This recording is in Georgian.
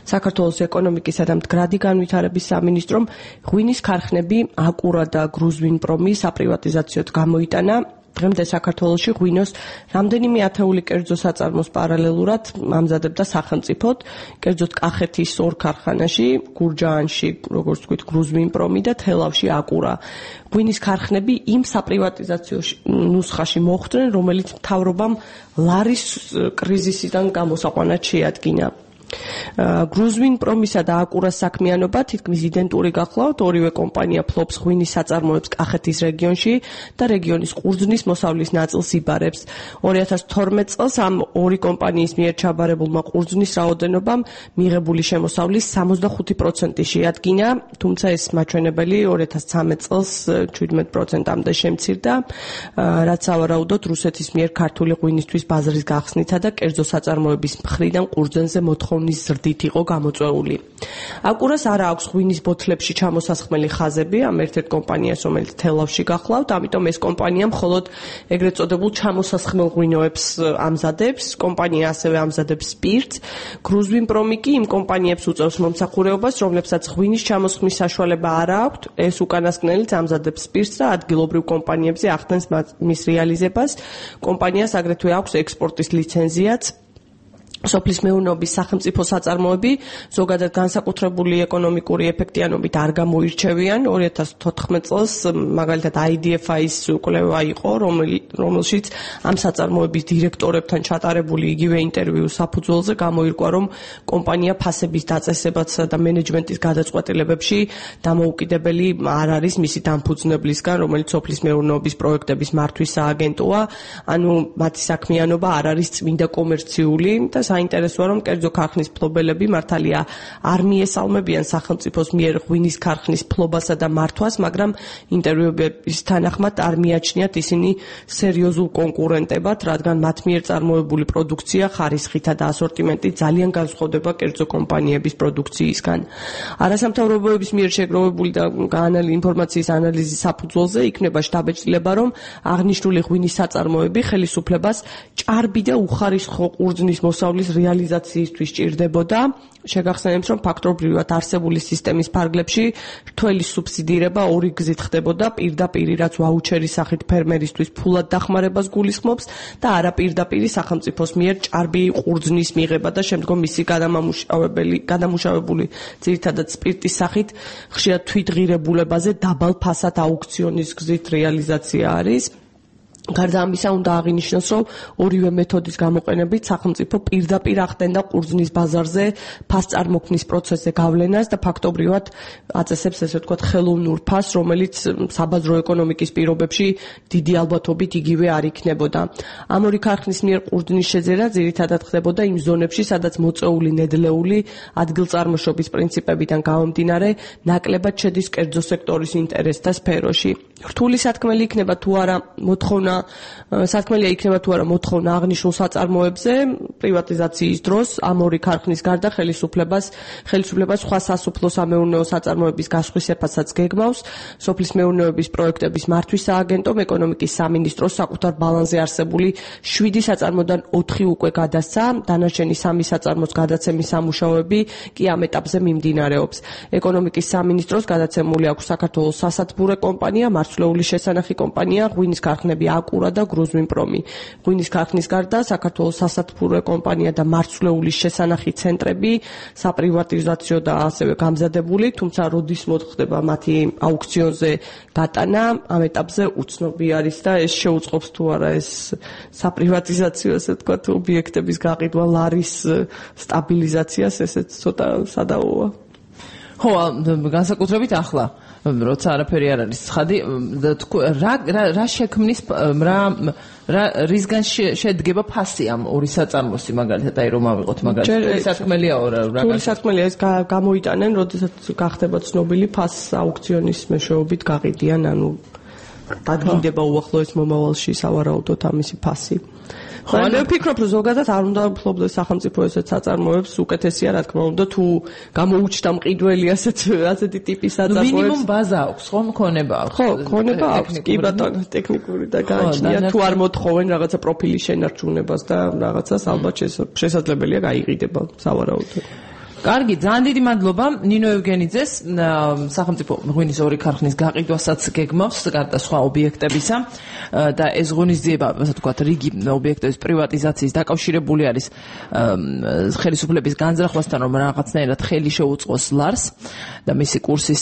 საქართველოს ეკონომიკისა და მდგრადი განვითარების სამინისტრომ ღვინის ქარხნები აკურა და გრუზვინპრომი საპრივატიზაციოდ გამოიტანა. დღემდე საქართველოში ღვინოს რამდენიმე ათეული კერძო საწარმოს პარალელურად ამზადებდა სახელმწიფოდ, კერძოდ კახეთის ორ ქარხანაში, გურჯაანში, როგორც ვთქვით, გრუზვინპრომი და თელავში აკურა. ღვინის ქარხნები იმ საპრივატიზაციო ნუსხაში მოხვდნენ, რომელიც მთავრობამ ლარის კრიზისიდან გამოსაყვანად შეადგინა. გრუზვინპრომისა და აკურას საქმიანობა თითქმის იდენტური გახლავთ, ორივე კომპანია ფლობს ღვინის საწარმოებს კახეთის რეგიონში და რეგიონის ყურძნის მოსავლის ნაწილს იბარებს. 2012 წელს ამ ორი კომპანიის მიერ ჩაბარებულმა ყურძნის რაოდენობამ მიღებული შემოსავლის 65% შეადგინა, თუმცა ეს მაჩვენებელი 2013 წელს 17%-მდე შემცირდა, რაც სავარაუდოდ რუსეთის მიერ ქართული ღვინისთვის ბაზრის გახსნითა და კერძო საწარმოების მხრიდან ყურძენზე მოთხოვნის ზრდით იყო გამოწვეული. აკურას არა აქვს ღვინის ბოთლებში ჩამოსასხმელი ხაზები ამ ერთ-ერთ კომპანიას, რომელიც თელავში გახლავთ, ამიტომ ეს კომპანია მხოლოდ ეგრეთ წოდებულ ჩამოსასხმელ ღვინოებს ამზადებს. კომპანია ასევე ამზადებს სპირტს. გრუზვინპრომი კი იმ კომპანიებს უწევს მომსახურეობას, რომლებსაც ღვინის ჩამოსხმის საშუალება არ აქვთ. ეს უკანასკნელიც ამზადებს სპირტს და ადგილობრივ კომპანიებზე ახდენს მის რეალიზებას. კომპანიას აგრეთვე აქვს ექსპორტის ლიცენზიაც. სოფლის მეურნეობის სახელმწიფო საწარმოები ზოგადად განსაკუთრებული ეკონომიკური ეფექტიანობით არ გამოირჩევიან. 2014 წელს მაგალითად IDFI-ის კვლევა იყო, რომელშიც ამ საწარმოების დირექტორებთან ჩატარებული იგივე ინტერვიუს საფუძველზე გამოირკვა, რომ კომპანია ფასების დაწესებასა და მენეჯმენტის გადაწყვეტილებებში დამოუკიდებელი არ არის მისი დამფუძნებლისგან, რომელიც სოფლის მეურნეობის პროექტების მართვის სააგენტოა, ანუ მათი საქმიანობა არ არის წმინდა კომერციული და საინტერესოა, რომ კერძო ქარხნის ფლობელები მართალია არ მიესალმებიან სახელმწიფოს მიერ ღვინის ქარხნის ფლობასა და მართვას, მაგრამ ინტერვიუების თანახმად არ მიაჩნიათ ისინი სერიოზულ კონკურენტებად, რადგან მათ მიერ წარმოებული პროდუქცია ხარისხითა და ასორტიმენტით ძალიან განსხვავდება კერძო კომპანიების პროდუქციისგან. არასამთავრობოების მიერ შეგროვებული და ინფორმაციის ანალიზის საფუძველზე იქნება შთაბეჭდილება, რომ აღნიშნული ღვინის საწარმოები ხელისუფლებას ჭარბი და უხარისხო ყურძნის მოსავლის რეალიზაციისთვის ჭირდებოდა. შეგახსენებთ, რომ ფაქტობრივად არსებული სისტემის ფარგლებში რთველი სუბსიდირება ორი გზით ხდებოდა, პირდაპირ, რაც ვაუჩერის სახით ფერმერისთვის ფულად დახმარებას გულისხმობს და არაპირდაპირ სახელმწიფოს მიერ ჭარბი ყურძნის მიღება და შემდგომ მისი გადამუშავებული ძირითადად სპირტის სახით ხშირად თვითღირებულებაზე დაბალ ფასად აუქციონის გზით რეალიზაცია არის. გარდა ამისა, უნდა აღინიშნოს, რომ ორივე მეთოდის გამოყენებით სახელმწიფო პირდაპირ ახდენდა ყურძნის ბაზარზე ფასწარმოქმნის პროცესზე გავლენას და ფაქტობრივად აწესებს, ესე ვთქვათ, ხელოვნურ ფასს, რომელიც საბაზრო ეკონომიკის პირობებში დიდი ალბათობით იგივე არ იქნებოდა. ამ ორი ქარხნის მიერ ყურძნის შეძერა ძირითადად ხდებოდა იმ ზონებში, სადაც მოწეული ნედლეული ადგილწარმოშობის პრინციპებიდან გამომდინარე ნაკლებად შედის კერძო სექტორის ინტერესთა სფეროში. რთული სათქმელი იქნება თუ არა მოთხოვნა აღნიშნულ საწარმოებზე პრივატიზაციის დროს ამ ორი ქარხნის გარდა ხელისუფლებას სხვა სასოფლო სამეურნეო საწარმოების გასხვისეფასაც გეგმავს. სოფლის მეურნეობის პროექტების მართვის სააგენტომ ეკონომიკის სამინისტროს საკუთარ ბალანსზე არსებული 7 საწარმოდან 4 უკვე გადასცა, დანარჩენი 3 საწარმოს გადაცემის სამუშაოები კი ამ ეტაპზე მიმდინარეობს. ეკონომიკის სამინისტროს გადაცემული აქვს საქართველოს სასათბურე კომპანია, მარცვლეულის შესანახი კომპანია, ღვინის ქარხნები აკურა და გრუზვინპრომი. ღვინის ქარხნის გარდა საქართველოს სასათბურე კომპანია და მარცვლეულის შესანახი ცენტრები საპრივატიზაციო და ასევე გამზადებული, თუმცა როდის მოხდება მათი აუქციონზე გატანა, ამ ეტაპზე უცნობი არის და ეს შეუწყობს თუ არა ეს საპრივატიზაციო, ასე ვთქვათ, ობიექტების გაყიდვა, ლარის სტაბილიზაციას, ესეც ცოტა სადაოა. ხო, განსაკუთრებით ახლა როცა არაფერი არ არის ცხადი, რა შექმნის რისგან შედგება ფასი ამ ორი საწარმოსი, მაგალითად, აი რომ ავიღოთ მაგალითად. სათქმელია რთული სათქმელია, ეს გამოიტანენ, როდესაც გახდება ცნობილი ფასს აუქციონის მეშვეობით გაყიდიან, ანუ დადგინდება უახლოეს მომავალში სავარაუდოდ ამისი ფასი. ხო, მე ვფიქრობ, რომ ზოგადად არ უნდა ფლობდეს სახელმწიფო ესეთ საწარმოებს, უკეთესია, რა თქმა უნდა, თუ გამოუჩნდა მყიდველი ასეთი ტიპის საწარმოებს. მინიმუმ ბაზა აქვს, ხო, მქონება აქვს. ხო, მქონება აქვს, კი ბატონო, ტექნიკური და გააჩნია, თუ არ მოთხოვენ რაღაცა პროფილის შენარჩუნებას და რაღაცას, ალბათ შესაძლებელია გაიყიდება, სავარაუდოდ. კარგი, ძალიან დიდი მადლობა ნინო ევგენიძეს, სახელმწიფო ღვინის ორი ქარხნის გაყიდვასაც გეგმავს, გარდა სხვა ობიექტებისა და ეს ღონისძიება, ასე ვთქვათ, რიგი ობიექტების პრივატიზაციის დაკავშირებული არის ხელისუფლების განზრახვასთან, რომ რაღაცნაირად ხელი შეუწყოს ლარს და მისი კურსის